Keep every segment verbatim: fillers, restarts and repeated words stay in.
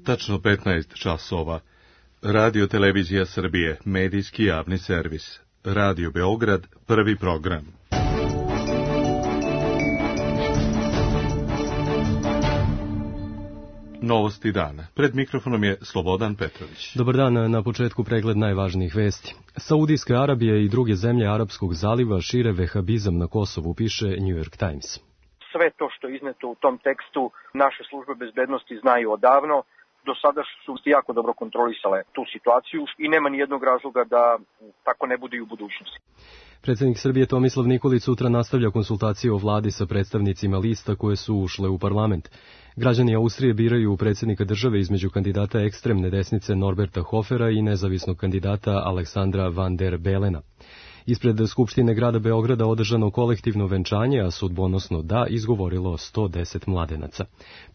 tačno petnaest časova. Radio Televizija Srbije, medijski javni servis. Radio Beograd, prvi program. Novosti dana. Pred mikrofonom je Slobodan Petrović. Dobar dan, na početku pregled najvažnijih vesti. Saudijska Arabija i druge zemlje Arapskog zaliva šire vehabizam na Kosovu, piše New York Times. Sve to što je izneto u tom tekstu naše službe bezbednosti znaju odavno. Do sada su jako dobro kontrolisale tu situaciju i nema ni jednog razloga da tako ne bude i u budućnosti. Predsjednik Srbije Tomislav Nikolić sutra nastavlja konsultacije o vladi sa predstavnicima lista koje su ušle u parlament. Građani Austrije biraju predsjednika države između kandidata ekstremne desnice Norberta Hofera i nezavisnog kandidata Aleksandra van der Belena. Ispred Skupštine grada Beograda održano kolektivno venčanje, a sudbonosno da izgovorilo sto deset mladenaca.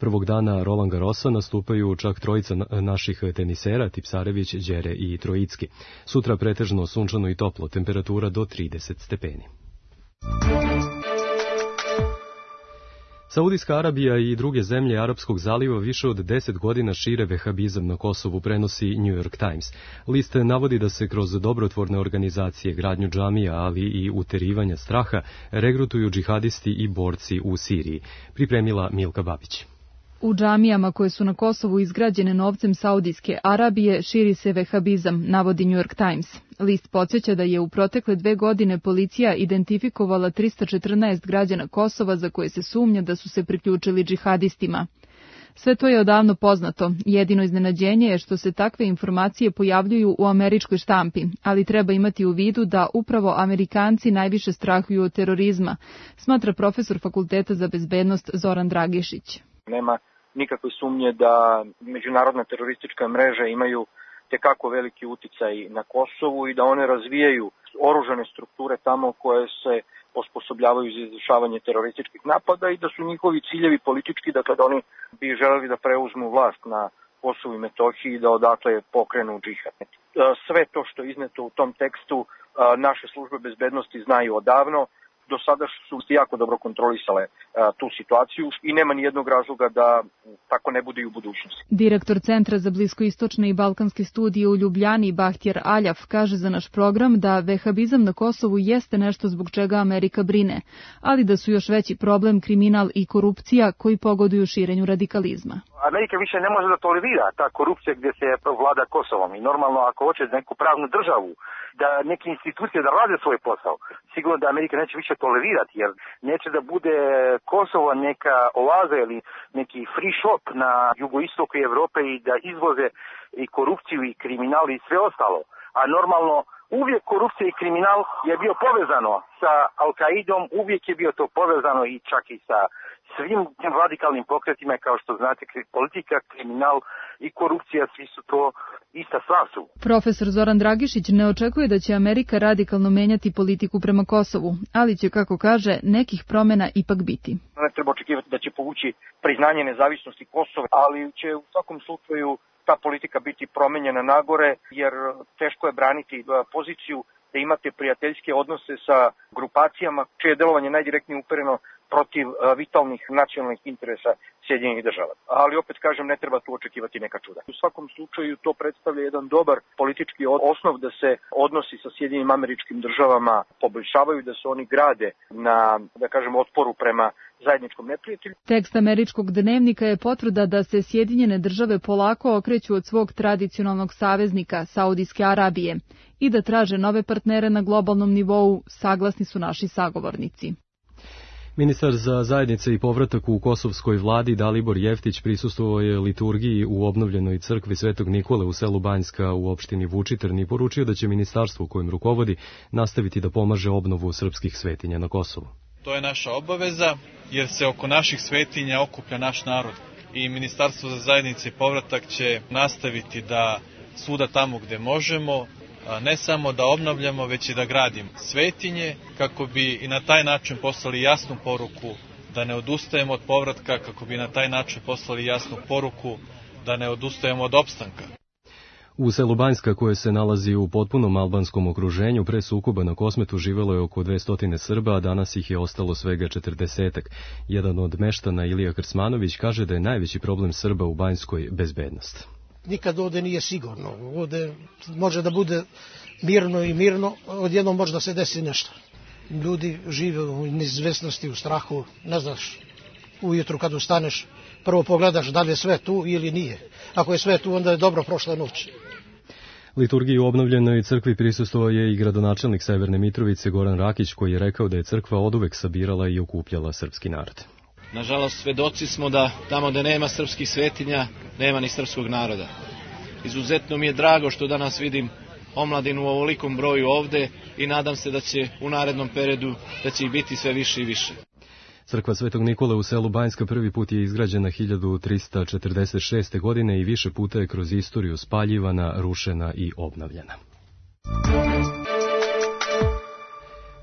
Prvog dana Roland Garrosa nastupaju čak trojica naših tenisera, Tipsarević, Đere i Trojicki. Sutra pretežno sunčano i toplo, temperatura do trideset stepeni. Saudijska Arabija i druge zemlje Arapskog zaliva više od deset godina šire vehabizam na Kosovu, prenosi New York Times. List navodi da se kroz dobrotvorne organizacije, gradnju džamija, ali i uterivanja straha, regrutuju džihadisti i borci u Siriji. Pripremila Milka Babić. U džamijama koje su na Kosovu izgrađene novcem Saudijske Arabije širi se vehabizam, navodi New York Times. List podsjeća da je u protekle dve godine policija identifikovala trista četrnaest građana Kosova za koje se sumnja da su se priključili džihadistima. Sve to je odavno poznato, jedino iznenađenje je što se takve informacije pojavljuju u američkoj štampi, ali treba imati u vidu da upravo Amerikanci najviše strahuju od terorizma, smatra profesor Fakulteta za bezbednost Zoran Dragišić. Nema nikakve sumnje da međunarodna teroristička mreža imaju tekako veliki uticaj na Kosovu i da one razvijaju oružane strukture tamo koje se osposobljavaju za izvršavanje terorističkih napada i da su njihovi ciljevi politički, dakle da oni bi želeli da preuzmu vlast na Kosovu i Metohiji i da odakle pokrenu džihad. Sve to što je izneto u tom tekstu naše službe bezbednosti znaju odavno. Do sada su jako dobro kontrolisale a, tu situaciju i nema ni jednog razloga da tako ne bude i u budućnosti. Direktor Centra za bliskoistočne i balkanske studije u Ljubljani, Bahtjer Aljaf, kaže za naš program da vehabizam na Kosovu jeste nešto zbog čega Amerika brine, ali da su još veći problem kriminal i korupcija koji pogoduju širenju radikalizma. Amerika više ne može da tolerira ta korupcija gdje se vlada Kosovom i normalno ako hoće neku pravnu državu, da neke institucije da rade svoj posao, sigurno da Amerika neće više tolerirati jer neće da bude Kosovo neka oaza ili neki free shop na jugoistoku Evrope i da izvoze i korupciju i kriminal i sve ostalo. A normalno uvijek korupcija i kriminal je bio povezano sa Al-Qaidom, uvijek je bio to povezano i čak i sa svim tim radikalnim pokretima, kao što znate, politika, kriminal i korupcija, svi su to ista stvar su. Profesor Zoran Dragišić ne očekuje da će Amerika radikalno menjati politiku prema Kosovu, ali će, kako kaže, nekih promjena ipak biti. Ne treba očekivati da će povući priznanje nezavisnosti Kosova, ali će u svakom slučaju ta politika biti promenjena nagore, jer teško je braniti poziciju da imate prijateljske odnose sa grupacijama čije delovanje najdirektnije upereno protiv vitalnih nacionalnih interesa Sjedinjenih država. Ali opet kažem, ne treba tu očekivati neka čuda. U svakom slučaju to predstavlja jedan dobar politički osnov da se odnosi sa Sjedinjenim Američkim Državama poboljšavaju, da se oni grade na, da kažem, otporu prema zajedničkom neprijatelju. Tekst američkog dnevnika je potvrda da se Sjedinjene Države polako okreću od svog tradicionalnog saveznika, Saudijske Arabije, i da traže nove partnere na globalnom nivou, saglasni su naši sagovornici. Ministar za zajednice i povratak u kosovskoj vladi Dalibor Jeftić prisustvovao je liturgiji u obnovljenoj crkvi Svetog Nikole u selu Banjska u opštini Vučitrn i poručio da će ministarstvo kojem rukovodi nastaviti da pomaže obnovu srpskih svetinja na Kosovu. To je naša obaveza jer se oko naših svetinja okuplja naš narod i Ministarstvo za zajednice i povratak će nastaviti da svuda tamo gde možemo ne samo da obnavljamo, već i da gradimo svetinje, kako bi i na taj način poslali jasnu poruku da ne odustajemo od povratka, kako bi na taj način poslali jasnu poruku da ne odustajemo od opstanka. U selu Banjska, koje se nalazi u potpunom albanskom okruženju, pre sukoba na Kosmetu živelo je oko dvesta Srba, a danas ih je ostalo svega četrdesetak. Jedan od meštana, Ilija Krsmanović, kaže da je najveći problem Srba u Banjskoj bezbednost. Nikad ovde nije sigurno. Ovde može da bude mirno i mirno, odjednom može da se desi nešto. Ljudi žive u neizvesnosti, u strahu, ne znaš, ujutru kad ustaneš, prvo pogledaš da li je sve tu ili nije. Ako je sve tu, onda je dobro prošla noć. Liturgiji u obnovljenoj crkvi prisustvovao je i gradonačelnik Severne Mitrovice Goran Rakić, koji je rekao da je crkva oduvek sabirala i okupljala srpski narod. Nažalost, svedoci smo da tamo gde nema srpskih svetinja, nema ni srpskog naroda. Izuzetno mi je drago što danas vidim omladinu u ovolikom broju ovde i nadam se da će u narednom periodu da će ih biti sve više i više. Crkva Svetog Nikole u selu Banjska prvi put je izgrađena hiljadu trista četrdeset šeste. godine i više puta je kroz istoriju spaljivana, rušena i obnavljana.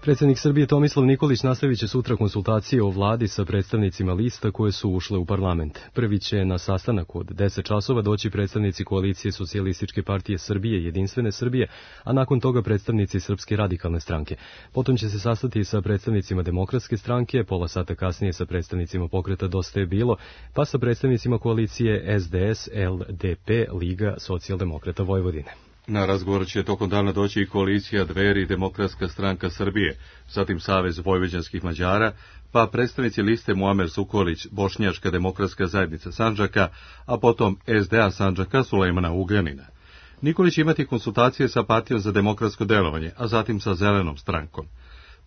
Predsjednik Srbije Tomislav Nikolić nastavit će sutra konsultacije o vladi sa predstavnicima lista koje su ušle u parlament. Prvi će na sastanak od deset časova doći predstavnici koalicije Socijalističke partije Srbije i Jedinstvene Srbije, a nakon toga predstavnici Srpske radikalne stranke. Potom će se sastati sa predstavnicima Demokratske stranke, pola sata kasnije sa predstavnicima pokreta Dosta je bilo, pa sa predstavnicima koalicije S D S, L D P, Liga socijaldemokrata Vojvodine. Na razgovor će tokom dana doći i koalicija Dveri i Demokratska stranka Srbije, zatim Savez vojvođanskih Mađara, pa predstavnici liste Muamer Sukolić, Bošnjačka demokratska zajednica Sandžaka, a potom S D A Sandžaka Sulejmana Ugljanina. Nikolić će imati konsultacije sa Partijom za demokratsko delovanje, a zatim sa Zelenom strankom.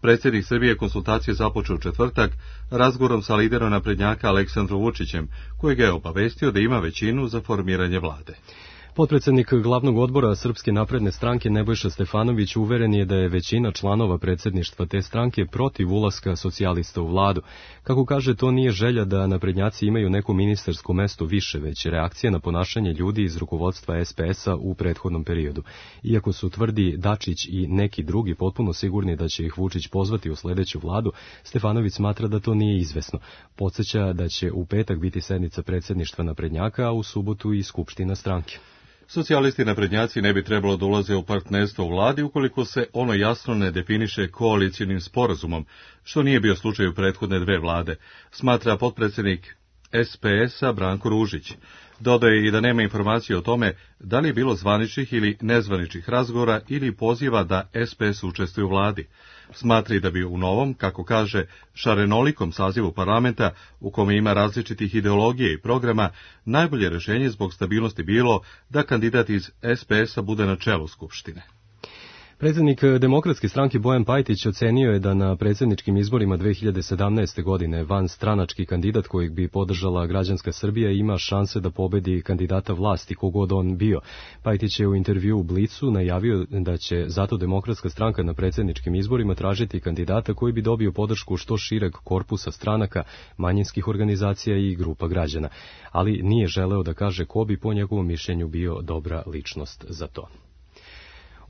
Predsjednik Srbije konsultacije započeo u četvrtak razgovorom sa liderom naprednjaka Aleksandrom Vučićem, koji ga je obavestio da ima većinu za formiranje vlade. Potpredsjednik glavnog odbora Srpske napredne stranke Nebojša Stefanović uveren je da je većina članova predsjedništva te stranke protiv ulaska socijalista u vladu. Kako kaže, to nije želja da naprednjaci imaju neko ministarsko mesto više, već reakcija na ponašanje ljudi iz rukovodstva S P S-a u prethodnom periodu. Iako su tvrdi Dačić i neki drugi potpuno sigurni da će ih Vučić pozvati u sljedeću vladu, Stefanović smatra da to nije izvesno. Podsjeća da će u petak biti sednica predsjedništva naprednjaka, a u subotu i skupština stranke. Socijalisti i naprednjaci ne bi trebalo da ulaze u partnerstvo u vladi ukoliko se ono jasno ne definiše koalicijnim sporazumom, što nije bio slučaj u prethodne dve vlade, smatra potpredsjednik S P S-a Branko Ružić. Dodaje i da nema informacije o tome da li je bilo zvaničnih ili nezvaničnih razgovora ili poziva da S P S učestvuje u vladi. Smatra i da bi u novom, kako kaže, šarenolikom sazivu parlamenta, u kome ima različitih ideologije i programa, najbolje rješenje zbog stabilnosti bilo da kandidat iz S P S-a bude na čelu Skupštine. Predsjednik Demokratske stranke Bojan Pajtić ocenio je da na predsjedničkim izborima dve hiljade sedamnaeste. godine vanstranački kandidat kojeg bi podržala građanska Srbija ima šanse da pobedi kandidata vlasti kogod on bio. Pajtić je u intervju u Blicu najavio da će zato Demokratska stranka na predsjedničkim izborima tražiti kandidata koji bi dobio podršku što šireg korpusa stranaka, manjinskih organizacija i grupa građana, ali nije želeo da kaže ko bi po njegovom mišljenju bio dobra ličnost za to.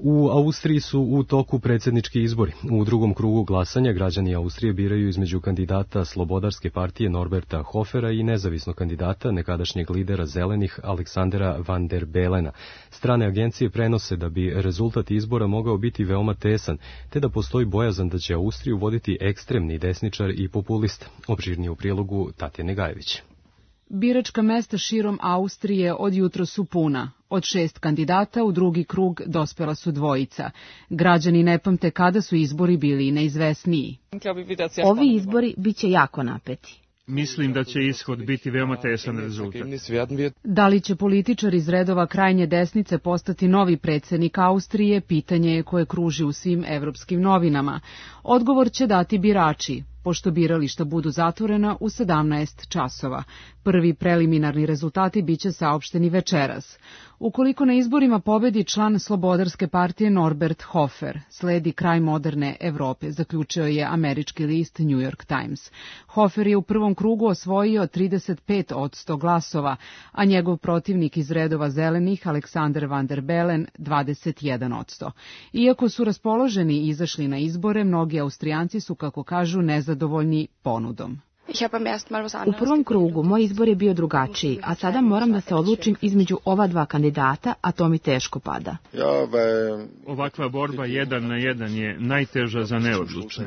U Austriji su u toku predsjednički izbori. U drugom krugu glasanja građani Austrije biraju između kandidata Slobodarske partije Norberta Hofera i nezavisnog kandidata, nekadašnjeg lidera Zelenih Aleksandera Van der Belena. Strane agencije prenose da bi rezultat izbora mogao biti veoma tesan, te da postoji bojazan da će Austriju voditi ekstremni desničar i populist. Opširnije u prilogu Tatjane Gajević. Biračka mesta širom Austrije od jutro su puna. Od šest kandidata u drugi krug dospela su dvojica. Građani ne pamte kada su izbori bili neizvesniji. Ovi izbori biće jako napeti. Mislim da će ishod biti veoma tesan rezultat. Da li će političar iz redova krajnje desnice postati novi predsjednik Austrije, pitanje je koje kruži u svim evropskim novinama. Odgovor će dati birači, pošto birališta budu zatvorena u sedamnaest časova. Prvi preliminarni rezultati biće saopšteni večeras. Ukoliko na izborima pobedi član Slobodarske partije Norbert Hofer, sledi kraj moderne Evrope, zaključio je američki list New York Times. Hofer je u prvom krugu osvojio trideset pet posto glasova, a njegov protivnik iz redova Zelenih, Aleksander Van der Bellen, dvadeset jedan posto. Iako su raspoloženi i izašli na izbore, mnogi Austrijanci su, kako kažu, nezadovoljni ponudom. U prvom krugu moj izbor je bio drugačiji, a sada moram da se odlučim između ova dva kandidata, a to mi teško pada. Ovakva borba jedan na jedan je najteža za neodlučne.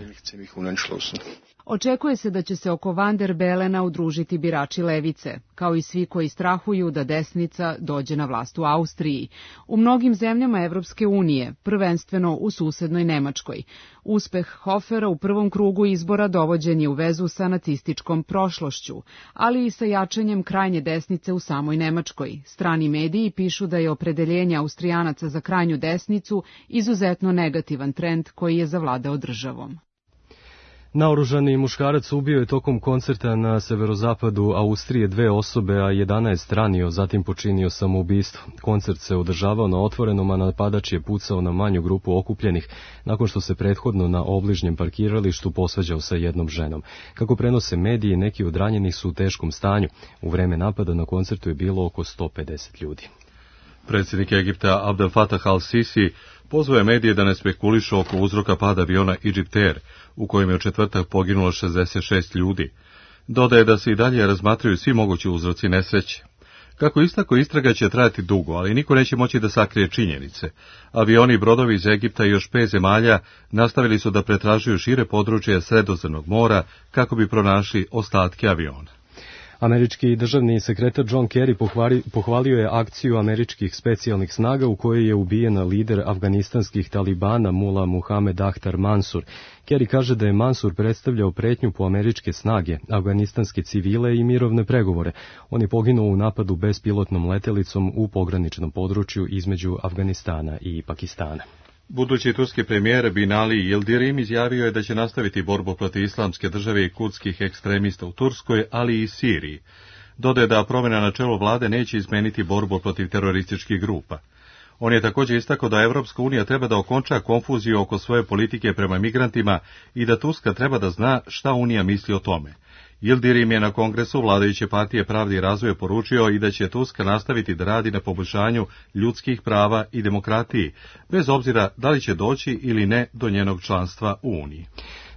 Očekuje se da će se oko Van der Belena udružiti birači levice, kao i svi koji strahuju da desnica dođe na vlast u Austriji. U mnogim zemljama Evropske unije, prvenstveno u susednoj Nemačkoj. Uspeh Hofera u prvom krugu izbora dovođen je u vezu sa nacističkom prošlošću, ali i sa jačanjem krajnje desnice u samoj Nemačkoj. Strani mediji pišu da je opredeljenje Austrijanaca za krajnju desnicu izuzetno negativan trend koji je zavladao državom. Naoružani muškarac ubio je tokom koncerta na severozapadu Austrije dve osobe, a jedanaest ranio, zatim počinio samoubistvo. Koncert se održavao na otvorenom, a napadač je pucao na manju grupu okupljenih, nakon što se prethodno na obližnjem parkiralištu posvađao sa jednom ženom. Kako prenose mediji, neki od ranjenih su u teškom stanju. U vreme napada na koncertu je bilo oko sto pedeset ljudi. Predsjednik Egipta Abdel Fattah al-Sisi pozvao je medije da ne spekulišu oko uzroka pada aviona Egypt Air, u kojem je u četvrtak poginulo šezdeset šest ljudi. Dodaje da se i dalje razmatraju svi mogući uzroci nesreće. Kako istako, istraga će trajati dugo, ali niko neće moći da sakrije činjenice. Avioni i brodovi iz Egipta i još pet zemalja nastavili su da pretražuju šire područje Sredozemnog mora kako bi pronašli ostatke aviona. Američki državni sekretar John Kerry pohvalio je akciju američkih specijalnih snaga u kojoj je ubijena lider afganistanskih talibana Mullah Muhammed Akhtar Mansur. Kerry kaže da je Mansur predstavljao pretnju po američke snage, afganistanske civile i mirovne pregovore. On je poginuo u napadu bespilotnom letelicom u pograničnom području između Afganistana i Pakistana. Budući turski premijer Binali Yildirim izjavio je da će nastaviti borbu protiv islamske države i kurdskih ekstremista u Turskoj, ali i Siriji. Dodaje da promjena na čelu vlade neće izmeniti borbu protiv terorističkih grupa. On je također istakao da Evropska unija treba da okonča konfuziju oko svoje politike prema migrantima i da Turska treba da zna šta Unija misli o tome. Yildirim je na kongresu vladajuće partije Pravde i razvoja poručio i da će Turska nastaviti da radi na poboljšanju ljudskih prava i demokratiji, bez obzira da li će doći ili ne do njenog članstva u Uniji.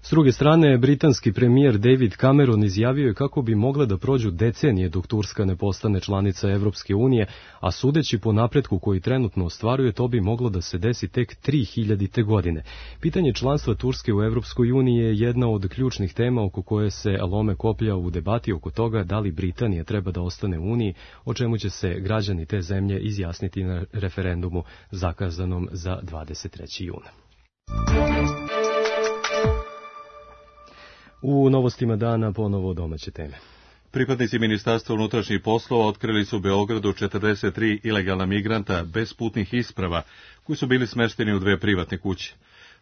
S druge strane, britanski premijer David Cameron izjavio je kako bi mogle da prođu decenije dok Turska ne postane članica Evropske unije, a sudeći po napretku koji trenutno ostvaruje, to bi moglo da se desi tek tri hiljadite godine. Pitanje članstva Turske u Evropskoj uniji je jedna od ključnih tema oko koje se lome koplja u debati oko toga da li Britanija treba da ostane u Uniji, o čemu će se građani te zemlje izjasniti na referendumu zakazanom za dvadeset trećeg juna. U novostima dana ponovo domaće teme. Pripadnici Ministarstva unutrašnjih poslova otkrili su u Beogradu četrdeset tri ilegalna migranta bez putnih isprava koji su bili smešteni u dve privatne kuće.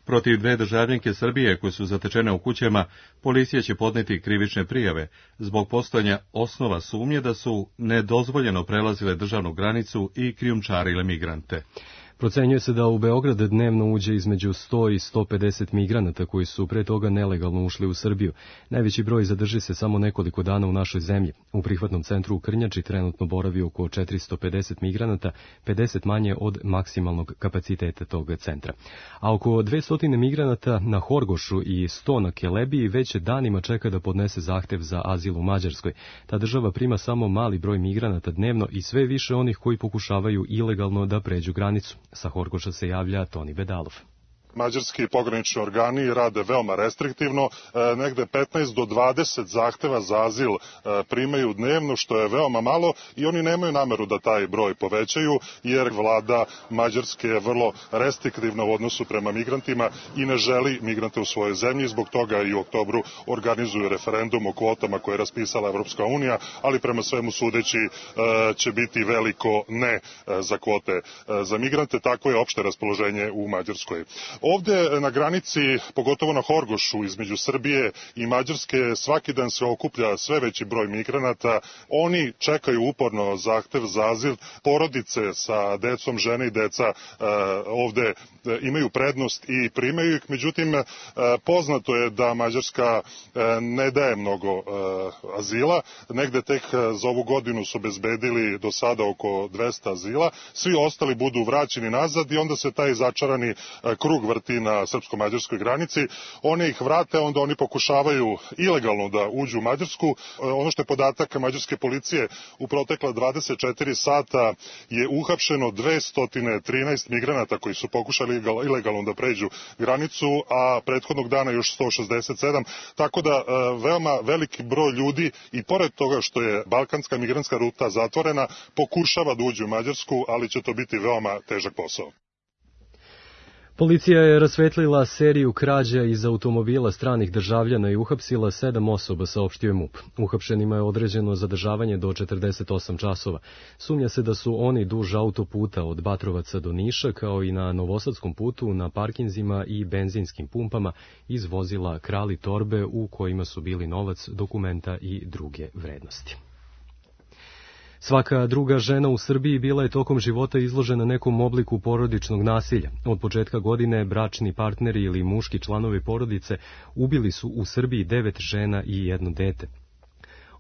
Protiv dve državljanke Srbije koje su zatečene u kućama, policija će podneti krivične prijave zbog postojanja osnova sumnje da su nedozvoljeno prelazile državnu granicu i krijumčarile migrante. Procenjuje se da u Beograd dnevno uđe između sto i sto pedeset migranata koji su pre toga nelegalno ušli u Srbiju. Najveći broj zadrži se samo nekoliko dana u našoj zemlji. U prihvatnom centru u Krnjači trenutno boravi oko četiristo pedeset migranata, pedeset manje od maksimalnog kapaciteta tog centra. A oko dvesta migranata na Horgošu i sto na Kelebiji već danima čeka da podnese zahtev za azil u Mađarskoj. Ta država prima samo mali broj migranata dnevno i sve više onih koji pokušavaju ilegalno da pređu granicu. Sa Horgoša se javlja Toni Bedalov. Mađarski pogranični organi rade veoma restriktivno, e, negde petnaest do dvadeset zahteva za azil e, primaju dnevno, što je veoma malo i oni nemaju nameru da taj broj povećaju, jer vlada Mađarske je vrlo restriktivna u odnosu prema migrantima i ne želi migrante u svojoj zemlji, zbog toga i u oktobru organizuju referendum o kvotama koje je raspisala Evropska unija, ali prema svemu sudeći e, će biti veliko ne e, za kvote e, za migrante, tako je opšte raspoloženje u Mađarskoj. Ovde na granici, pogotovo na Horgošu između Srbije i Mađarske, svaki dan se okuplja sve veći broj migranata. Oni čekaju uporno zahtev za azil. Porodice sa decom, žene i deca ovde imaju prednost i primaju ih. Međutim, poznato je da Mađarska ne daje mnogo azila. Negde tek za ovu godinu su obezbedili do sada oko dvesta azila. Svi ostali budu vraćeni nazad i onda se taj začarani krug vrati vrti na srpsko-mađarskoj granici. Oni ih vrate, onda oni pokušavaju ilegalno da uđu u Mađarsku. Ono što je podatak mađarske policije, u protekla dvadeset četiri sata je uhapšeno dvesta trinaest migranata koji su pokušali ilegalno da pređu granicu, a prethodnog dana još sto šezdeset sedam, tako da veoma veliki broj ljudi, i pored toga što je balkanska migrantska ruta zatvorena, pokušava da uđe u Mađarsku, ali će to biti veoma težak posao. Policija je rasvetlila seriju krađa iz automobila stranih državljana i uhapsila sedam osoba, saopštio je MUP. Uhapšenima je određeno zadržavanje do četrdeset osam časova. Sumnja se da su oni duž autoputa od Batrovaca do Niša, kao i na Novosadskom putu, na parkinzima i benzinskim pumpama iz vozila krali torbe u kojima su bili novac, dokumenta i druge vrednosti. Svaka druga žena u Srbiji bila je tokom života izložena nekom obliku porodičnog nasilja. Od početka godine bračni partneri ili muški članovi porodice ubili su u Srbiji devet žena i jedno dete.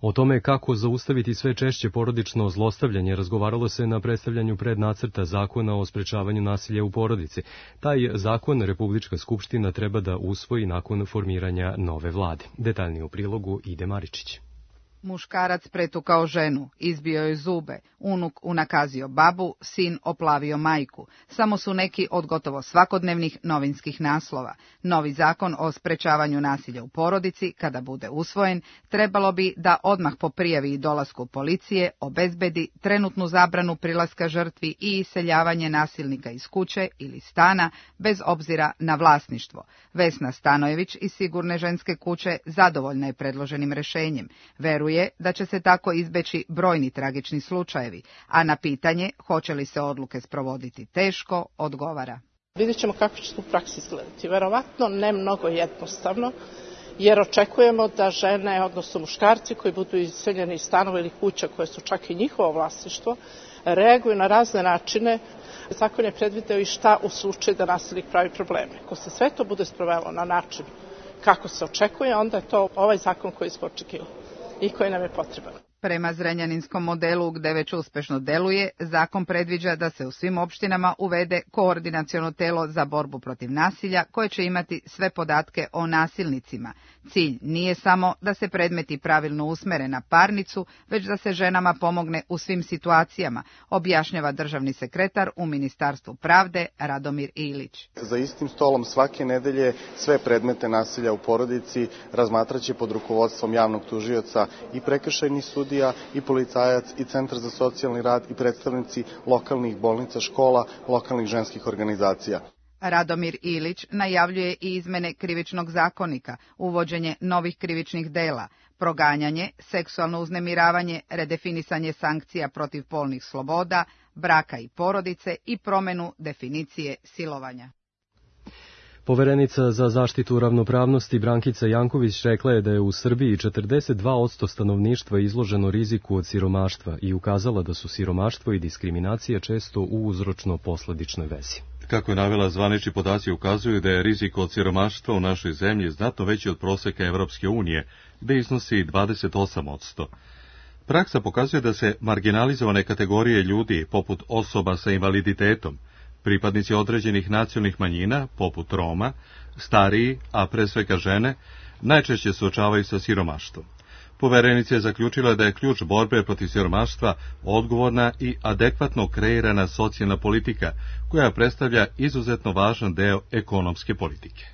O tome kako zaustaviti sve češće porodično zlostavljanje razgovaralo se na predstavljanju prednacrta zakona o sprečavanju nasilja u porodici. Taj zakon Republička skupština treba da usvoji nakon formiranja nove vlade. Detaljnije u prilogu Ide Maričić. Muškarac pretukao ženu, izbio joj zube, unuk unakazio babu, sin oplavio majku. Samo su neki od gotovo svakodnevnih novinskih naslova. Novi zakon o sprečavanju nasilja u porodici, kada bude usvojen, trebalo bi da odmah po prijavi i dolasku policije obezbedi trenutnu zabranu prilaska žrtvi i iseljavanje nasilnika iz kuće ili stana, bez obzira na vlasništvo. Vesna Stanojević iz Sigurne ženske kuće zadovoljna je predloženim rešenjem. Veruje da će se tako izbeći brojni tragični slučajevi, a na pitanje hoće li se odluke sprovoditi teško, odgovara. Vidjet ćemo kako će to u praksi izgledati. Verovatno ne mnogo jednostavno, jer očekujemo da žene, odnosno muškarci koji budu iseljeni iz stanova ili kuća koje su čak i njihovo vlasništvo, reaguju na razne načine. Zakon je predvideo i šta u slučaju da nasilnik pravi probleme. Ako se sve to bude sprovelo na način kako se očekuje, onda je to ovaj zakon koji smo očekivali i koji nam je potreban. Prema zrenjaninskom modelu, gde već uspešno deluje, zakon predviđa da se u svim opštinama uvede koordinaciono telo za borbu protiv nasilja, koje će imati sve podatke o nasilnicima. Cilj nije samo da se predmeti pravilno usmere na parnicu, već da se ženama pomogne u svim situacijama, objašnjava državni sekretar u Ministarstvu pravde Radomir Ilić. Za istim stolom svake nedelje sve predmete nasilja u porodici razmatraće pod rukovodstvom javnog tužioca i prekršajni sudija, i policajac, i Centar za socijalni rad, i predstavnici lokalnih bolnica, škola, lokalnih ženskih organizacija. Radomir Ilić najavljuje i izmene krivičnog zakonika, uvođenje novih krivičnih dela, proganjanje, seksualno uznemiravanje, redefinisanje sankcija protiv polnih sloboda, braka i porodice i promenu definicije silovanja. Poverenica za zaštitu ravnopravnosti Brankica Janković rekla je da je u Srbiji četrdeset dva posto stanovništva izloženo riziku od siromaštva i ukazala da su siromaštvo i diskriminacija često u uzročno-posledičnoj vezi. Kako je navela, zvanični podaci ukazuju da je rizik od siromaštva u našoj zemlji znatno veći od proseka Evropske unije, gde iznosi dvadeset osam posto. Praksa pokazuje da se marginalizovane kategorije ljudi, poput osoba sa invaliditetom, pripadnici određenih nacionalnih manjina, poput Roma, stariji, a pre svega žene, najčešće suočavaju sa siromaštvom. Poverenica je zaključila da je ključ borbe protiv siromaštva odgovorna i adekvatno kreirana socijalna politika, koja predstavlja izuzetno važan deo ekonomske politike.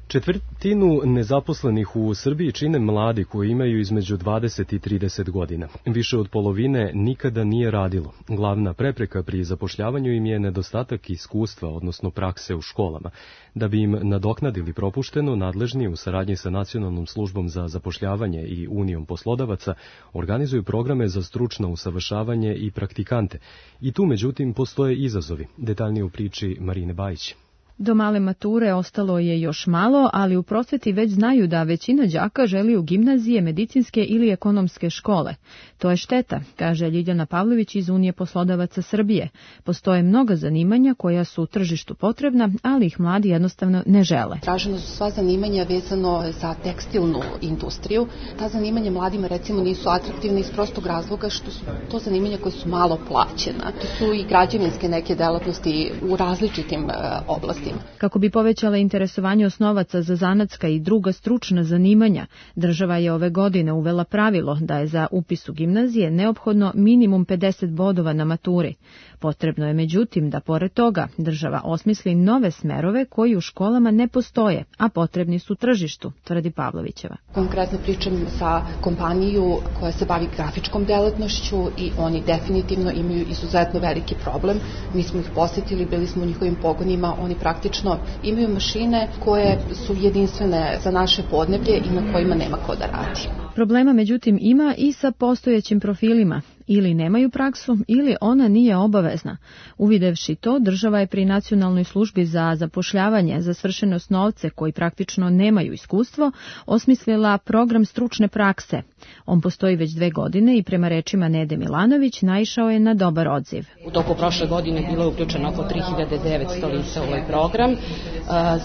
Četvrtinu nezaposlenih u Srbiji čine mladi koji imaju između dvadeset i trideset godina. Više od polovine nikada nije radilo. Glavna prepreka pri zapošljavanju im je nedostatak iskustva, odnosno prakse u školama. Da bi im nadoknadili propušteno, nadležni u saradnji sa Nacionalnom službom za zapošljavanje i Unijom poslodavaca organizuju programe za stručno usavršavanje i praktikante. I tu, međutim, postoje izazovi. Detaljnije u priči Marine Bajić. Do male mature ostalo je još malo, ali u prosveti već znaju da većina đaka želi u gimnazije, medicinske ili ekonomske škole. To je šteta, kaže Ljiljana Pavlović iz Unije poslodavaca Srbije. Postoje mnoga zanimanja koja su u tržištu potrebna, ali ih mladi jednostavno ne žele. Traženo su sva zanimanja vezano za tekstilnu industriju. Ta zanimanja mladima recimo nisu atraktivna iz prostog razloga što su to zanimanja koje su malo plaćena. To su i građevinske neke delatnosti u različitim oblastima. tim. Kako bi povećala interesovanje osnovaca za zanatska i druga stručna zanimanja, država je ove godine uvela pravilo da je za upis u gimnazije neophodno minimum pedeset bodova na maturi. Potrebno je međutim da pored toga država osmisli nove smerove koji u školama ne postoje, a potrebni su tržištu, tvrdi Pavlovićeva. Konkretno pričam sa kompaniju koja se bavi grafičkom delatnošću i oni definitivno imaju izuzetno veliki problem. Mi smo ih posjetili, bili smo u njihovim pogonima, oni praktično imaju mašine koje su jedinstvene za naše podneblje i na kojima nema ko da radi. Problema međutim ima i sa postojećim profilima. Ili nemaju praksu, ili ona nije obavezna. Uvidevši to, država je pri Nacionalnoj službi za zapošljavanje za svršene osnovce koji praktično nemaju iskustvo, osmislila program stručne prakse. On postoji već dve godine i prema rečima Nede Milanović naišao je na dobar odziv. U toku prošle godine bilo je uključeno oko tri hiljade devetsto lica u ovaj program.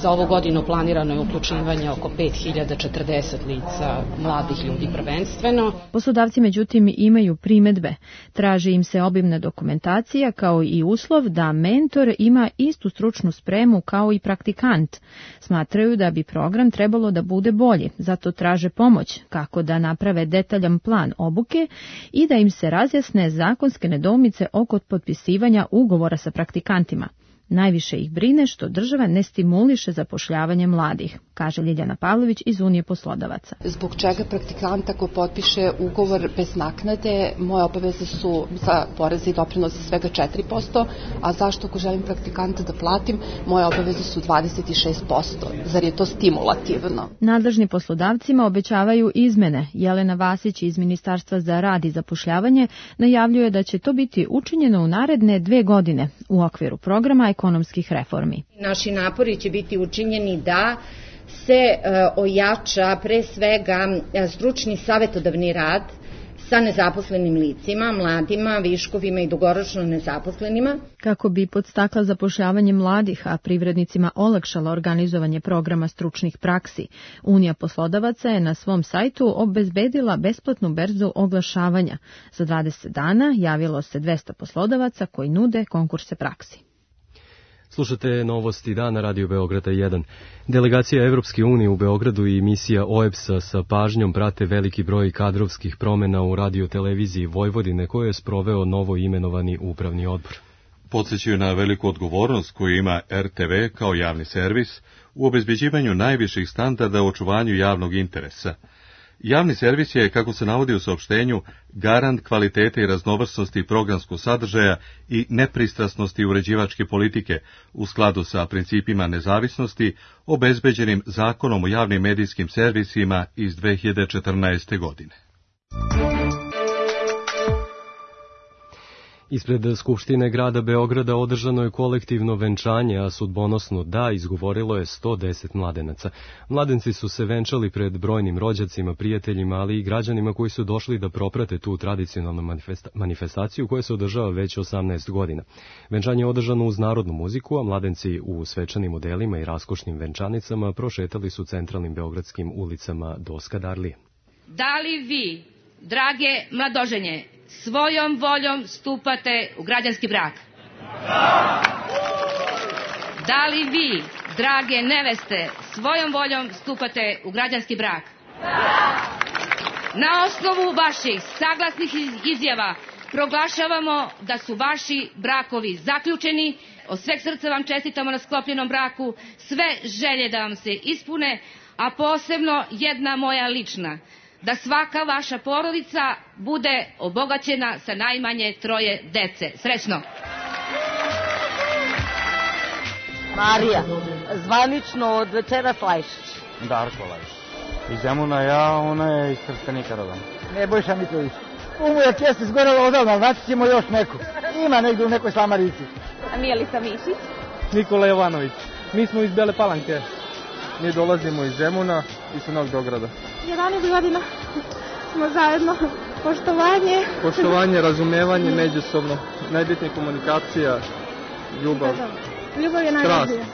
Za ovu godinu planirano je uključivanje oko pet hiljada četrdeset lica mladih ljudi prvenstveno. Poslodavci međutim imaju primedbe. Traži im se obimna dokumentacija kao i uslov da mentor ima istu stručnu spremu kao i praktikant. Smatraju da bi program trebalo da bude bolji, zato traže pomoć kako da naprave detaljan plan obuke i da im se razjasne zakonske nedoumice oko potpisivanja ugovora sa praktikantima. Najviše ih brine što država ne stimuliše zapošljavanje mladih, kaže Ljiljana Pavlović iz Unije poslodavaca. Zbog čega praktikant ako potpiše ugovor bez naknade, moje obaveze su za poreze i doprinose svega četiri posto, a zašto ako želim praktikanta da platim, moje obaveze su dvadeset šest posto. Zar je to stimulativno? Nadležni poslodavcima obećavaju izmene. Jelena Vasić iz Ministarstva za rad i zapošljavanje najavljuje da će to biti učinjeno u naredne dve godine u okviru programa ekonomskih reformi. Naši napori će biti učinjeni da se e, ojača pre svega stručni savetodavni rad sa nezaposlenim licima, mladima, viškovima i dugoročno nezaposlenima. Kako bi podstakla zapošljavanje mladih, a privrednicima olakšala organizovanje programa stručnih praksi, Unija poslodavaca je na svom sajtu obezbedila besplatnu berzu oglašavanja. Za dvadeset dana javilo se dvesta poslodavaca koji nude konkurse praksi. Slušate novosti dana Radio Beograda jedan. Delegacija Evropske unije u Beogradu i misija O E B S-a sa pažnjom prate veliki broj kadrovskih promjena u radioteleviziji Vojvodine koje je sproveo novo imenovani upravni odbor. Podsjećaju na veliku odgovornost koju ima R T V kao javni servis u obezbeđivanju najviših standarda u očuvanju javnog interesa. Javni servis je, kako se navodi u saopštenju, garant kvalitete i raznovrsnosti programskog sadržaja i nepristrasnosti uređivačke politike u skladu sa principima nezavisnosti obezbeđenim Zakonom o javnim medijskim servisima iz dve hiljade četrnaeste. godine. Ispred Skupštine grada Beograda održano je kolektivno venčanje, a sudbonosno da izgovorilo je sto deset mladenaca. Mladenci su se venčali pred brojnim rođacima, prijateljima, ali i građanima koji su došli da proprate tu tradicionalnu manifesta- manifestaciju koja se održava već osamnaest godina. Venčanje je održano uz narodnu muziku, a mladenci u svečanim odelima i raskošnim venčanicama prošetali su centralnim beogradskim ulicama do Skadarlije. Da li vi, drage mladoženje, svojom voljom stupate u građanski brak? Da! Da li vi, drage neveste, svojom voljom stupate u građanski brak? Da! Na osnovu vaših saglasnih izjava proglašavamo da su vaši brakovi zaključeni. Od sveg srca vam čestitamo na sklopljenom braku, sve želje da vam se ispune, a posebno jedna moja lična, da svaka vaša porodica bude obogaćena sa najmanje troje dece. Srećno! Marija, zvanično od večeras Lajšić. Darko Lajšić. Iz Zemuna ja, ona je iz Trstenika rodom. Nebojša Mitrović. Umujak jeste zgorala odavno, znači ćemo još neku. Ima negdje u nekoj Slamarici. A Mijelica Mišić. Nikola Jovanović. Mi smo iz Bele Palanke. Mi dolazimo iz Zemuna i sa Novog Beograda. jedanaest godina smo zajedno. Poštovanje. Poštovanje, razumevanje, međusobno. Najbitnija komunikacija, ljubav. Ljubav je najvažnija.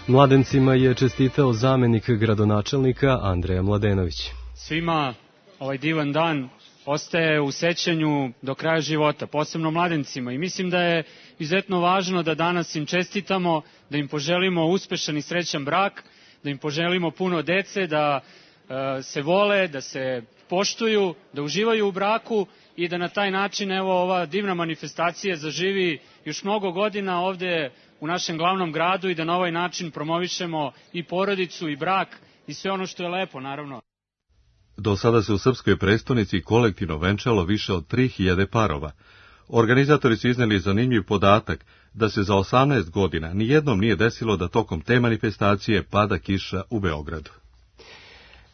Mladencima je čestitao zamenik gradonačelnika Andreja Mladenović. Svima ovaj divan dan ostaje u sećanju do kraja života, posebno mladencima. I mislim da je izuzetno važno da danas im čestitamo, da im poželimo uspešan i srećan brak, da im poželimo puno dece, da e, se vole, da se poštuju, da uživaju u braku i da na taj način evo ova divna manifestacija zaživi još mnogo godina ovde u našem glavnom gradu i da na ovaj način promovišemo i porodicu i brak i sve ono što je lepo, naravno. Do sada se u srpskoj prestonici kolektivno venčalo više od tri hiljade parova. Organizatori su izneli zanimljiv podatak da se za osamnaest godina nijednom nije desilo da tokom te manifestacije pada kiša u Beogradu.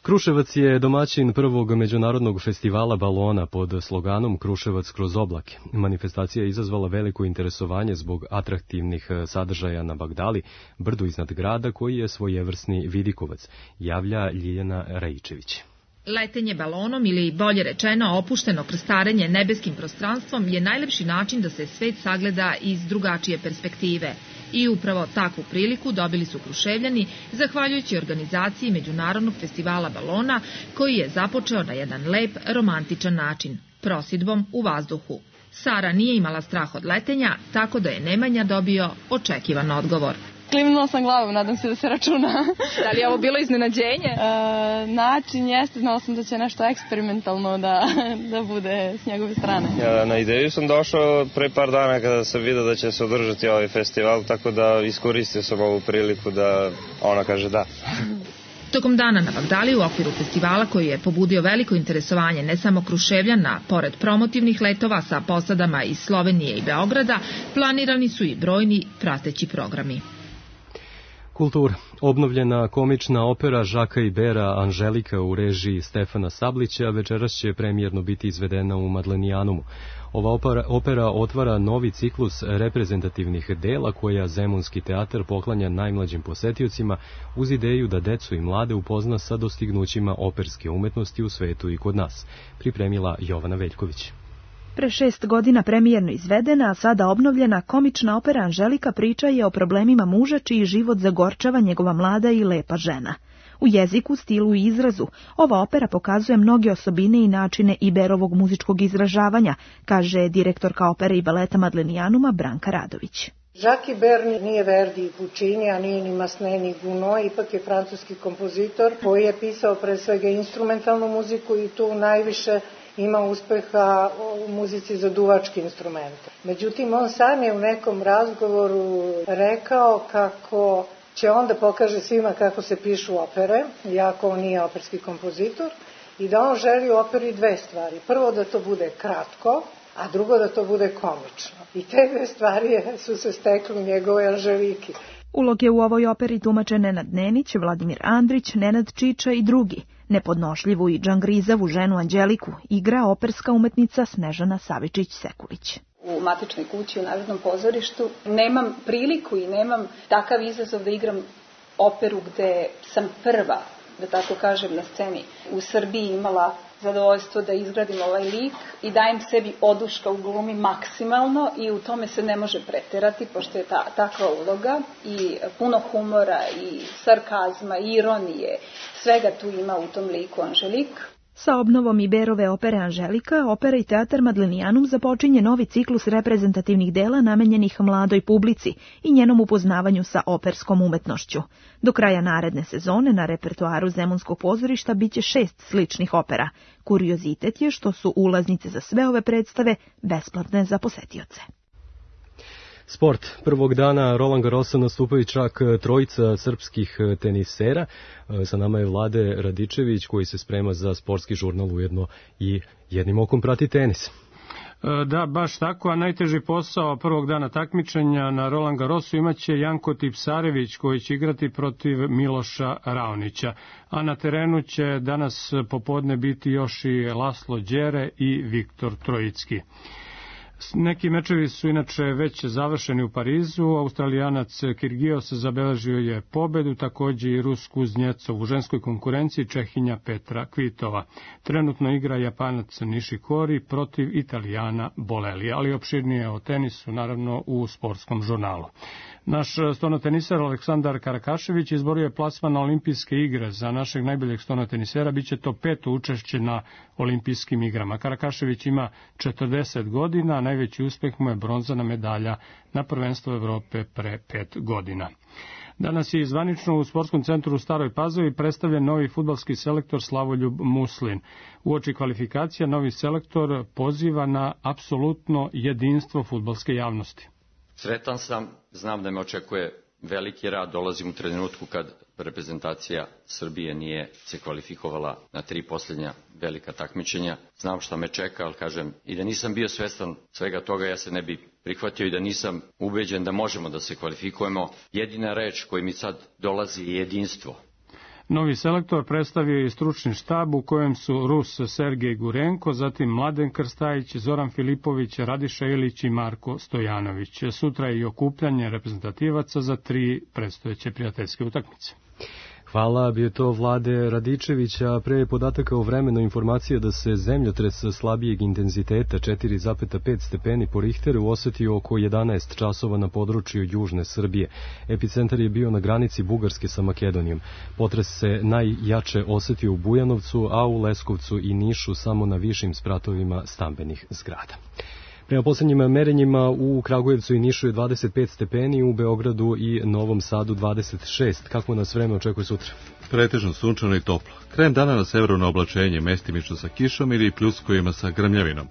Kruševac je domaćin prvog međunarodnog festivala balona pod sloganom Kruševac kroz oblake. Manifestacija je izazvala veliko interesovanje zbog atraktivnih sadržaja na Bagdali, brdu iznad grada koji je svojevrsni vidikovac, javlja Ljiljana Rajičević. Letenje balonom ili bolje rečeno opušteno krstarenje nebeskim prostranstvom je najlepši način da se svet sagleda iz drugačije perspektive. I upravo takvu priliku dobili su Kruševljani zahvaljujući organizaciji Međunarodnog festivala balona koji je započeo na jedan lep, romantičan način, prosidbom u vazduhu. Sara nije imala strah od letenja, tako da je Nemanja dobio očekivan odgovor. Klimnula sam glavom, nadam se da se računa. Da li je ovo bilo iznenađenje? E, način jeste, znala sam da će nešto eksperimentalno da, da bude s njegove strane. Ja, na ideju sam došao pre par dana kada sam vidio da će se održati ovaj festival, tako da iskoristio sam ovu priliku da ona kaže da. Tokom dana na Bagdali u okviru festivala koji je pobudio veliko interesovanje ne samo Kruševljana, pored promotivnih letova sa posadama iz Slovenije i Beograda, planirani su i brojni prateći programi. Kultura. Obnovljena komična opera Žaka Ibera Anželika u režiji Stefana Sablića večeras će premijerno biti izvedena u Madlenijanumu. Ova opera, opera otvara novi ciklus reprezentativnih dela koja Zemunski teatar poklanja najmlađim posetiocima uz ideju da decu i mlade upozna sa dostignućima operske umetnosti u svetu i kod nas, pripremila Jovana Veljković. Pre šest godina premijerno izvedena, a sada obnovljena komična opera Anželika priča je o problemima muža čiji život zagorčava njegova mlada i lepa žena. U jeziku, stilu i izrazu, ova opera pokazuje mnoge osobine i načine Iberovog muzičkog izražavanja, kaže direktorka opere i baleta Madlenijanuma Branka Radović. Jacques Ibert nije Verdi i Puccini, a nije ni Massenet ni Gounod, ipak je francuski kompozitor koji je pisao pre svega instrumentalnu muziku i tu najviše ima uspeha u muzici za duvačke instrumente. Međutim, on sam je u nekom razgovoru rekao kako će on da pokaže svima kako se pišu opere, iako on nije operski kompozitor, i da on želi u operi dve stvari. Prvo da to bude kratko, a drugo da to bude komično. I te dve stvari su se stekli u njegovoj Anželiki. Uloge u ovoj operi tumače Nenad Nenić, Vladimir Andrić, Nenad Čiča i drugi. Nepodnošljivu i džangrizavu ženu Anđeliku igra operska umetnica Snežana Savičić-Sekulić. U matičnoj kući u Narodnom pozorištu nemam priliku i nemam takav izazov da igram operu gde sam prva, da tako kažem, na sceni. U Srbiji imala zadovoljstvo da izgradim ovaj lik i dajem sebi oduška u glumi maksimalno i u tome se ne može preterati, pošto je ta, takva uloga i puno humora i sarkazma i ironije. Svega tu ima u tom liku Anželik. Sa obnovom Iberove opere Anželika, opera i teatar Madlenijanum započinje novi ciklus reprezentativnih dela namenjenih mladoj publici i njenom upoznavanju sa operskom umetnošću. Do kraja naredne sezone na repertoaru Zemunskog pozorišta biće šest sličnih opera. Kuriozitet je što su ulaznice za sve ove predstave besplatne za posetioce. Sport. Prvog dana Roland Garrosa nastupaju čak trojica srpskih tenisera. Sa nama je Vlade Radičević koji se sprema za sportski žurnal, ujedno i jednim okom prati tenis. Da, baš tako, a najteži posao prvog dana takmičenja na Roland Garrosu imaće Janko Tipsarević koji će igrati protiv Miloša Raonića. A na terenu će danas popodne biti još i Laslo Đere i Viktor Trojicki. Neki mečevi su inače već završeni u Parizu. Australijanac Kirgios zabeležio je pobedu, takođe i Rus Kuznjecov u ženskoj konkurenciji, Čehinja Petra Kvitova. Trenutno igra Japanac Nishikori protiv Italijana Bolelija, ali opširnije o tenisu naravno u sportskom žurnalu. Naš stonoteniser Aleksandar Karakašević izborio je plasman na olimpijske igre. Za našeg najboljeg stonotenisera biće to peto učešće na olimpijskim igrama. Karakašević ima četrdeset godina, a najveći uspeh mu je bronzana medalja na prvenstvu Evrope pre pet godina. Danas je zvanično u Sportskom centru u Staroj Pazovi predstavljen novi fudbalski selektor Slavoljub Muslin. Uoči kvalifikacija novi selektor poziva na apsolutno jedinstvo fudbalske javnosti. Sretan sam, znam da me očekuje veliki rad, dolazim u trenutku kad reprezentacija Srbije nije se kvalifikovala na tri posljednja velika takmičenja. Znam šta me čeka, ali kažem, i da nisam bio svestan svega toga, ja se ne bi prihvatio i da nisam ubeđen da možemo da se kvalifikujemo. Jedina reč koja mi sad dolazi je jedinstvo. Novi selektor predstavio je stručni štab u kojem su Rus Sergej Gurenko, zatim Mladen Krstajić, Zoran Filipović, Radiša Ilić i Marko Stojanović. Sutra je i okupljanje reprezentativaca za tri predstojeće prijateljske utakmice. Hvala, bio to Vlade Radičevića. Pre podataka o vremenu informacija da se zemljotres slabijeg intenziteta četiri zarez pet stepeni po Richteru osetio oko jedanaest časova na području južne Srbije. Epicentar je bio na granici Bugarske sa Makedonijom. Potres se najjače osetio u Bujanovcu, a u Leskovcu i Nišu samo na višim spratovima stambenih zgrada. Prema poslednjim merenjima u Kragujevcu i Nišu je dvadeset pet stepeni, u Beogradu i Novom Sadu dvadeset šest. Kako nas vreme očekuje sutra? Pretežno sunčano i toplo. Krajem dana na severu na oblačenje, mestimično sa kišom ili pljuskovima sa grmljavinom.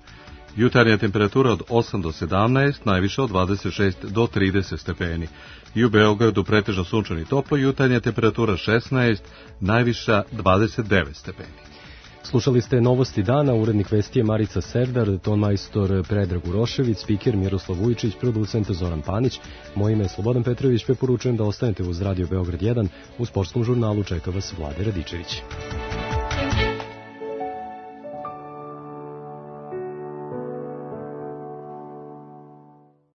Jutarnja temperatura od osam do sedamnaest, najviša od dvadeset šest do trideset stepeni. I u Beogradu pretežno sunčano i toplo, jutarnja temperatura šesnaest, najviša dvadeset devet stepeni. Slušali ste Novosti dana, urednik vesti je Marica Serdar, tonmajstor Predrag Urošević, spiker Miroslav Vujičić, producent Zoran Panić. Moje ime je Slobodan Petrović, preporučujem da ostanete uz Radio Beograd jedan. U sportskom žurnalu čeka vas Vlade Radičević.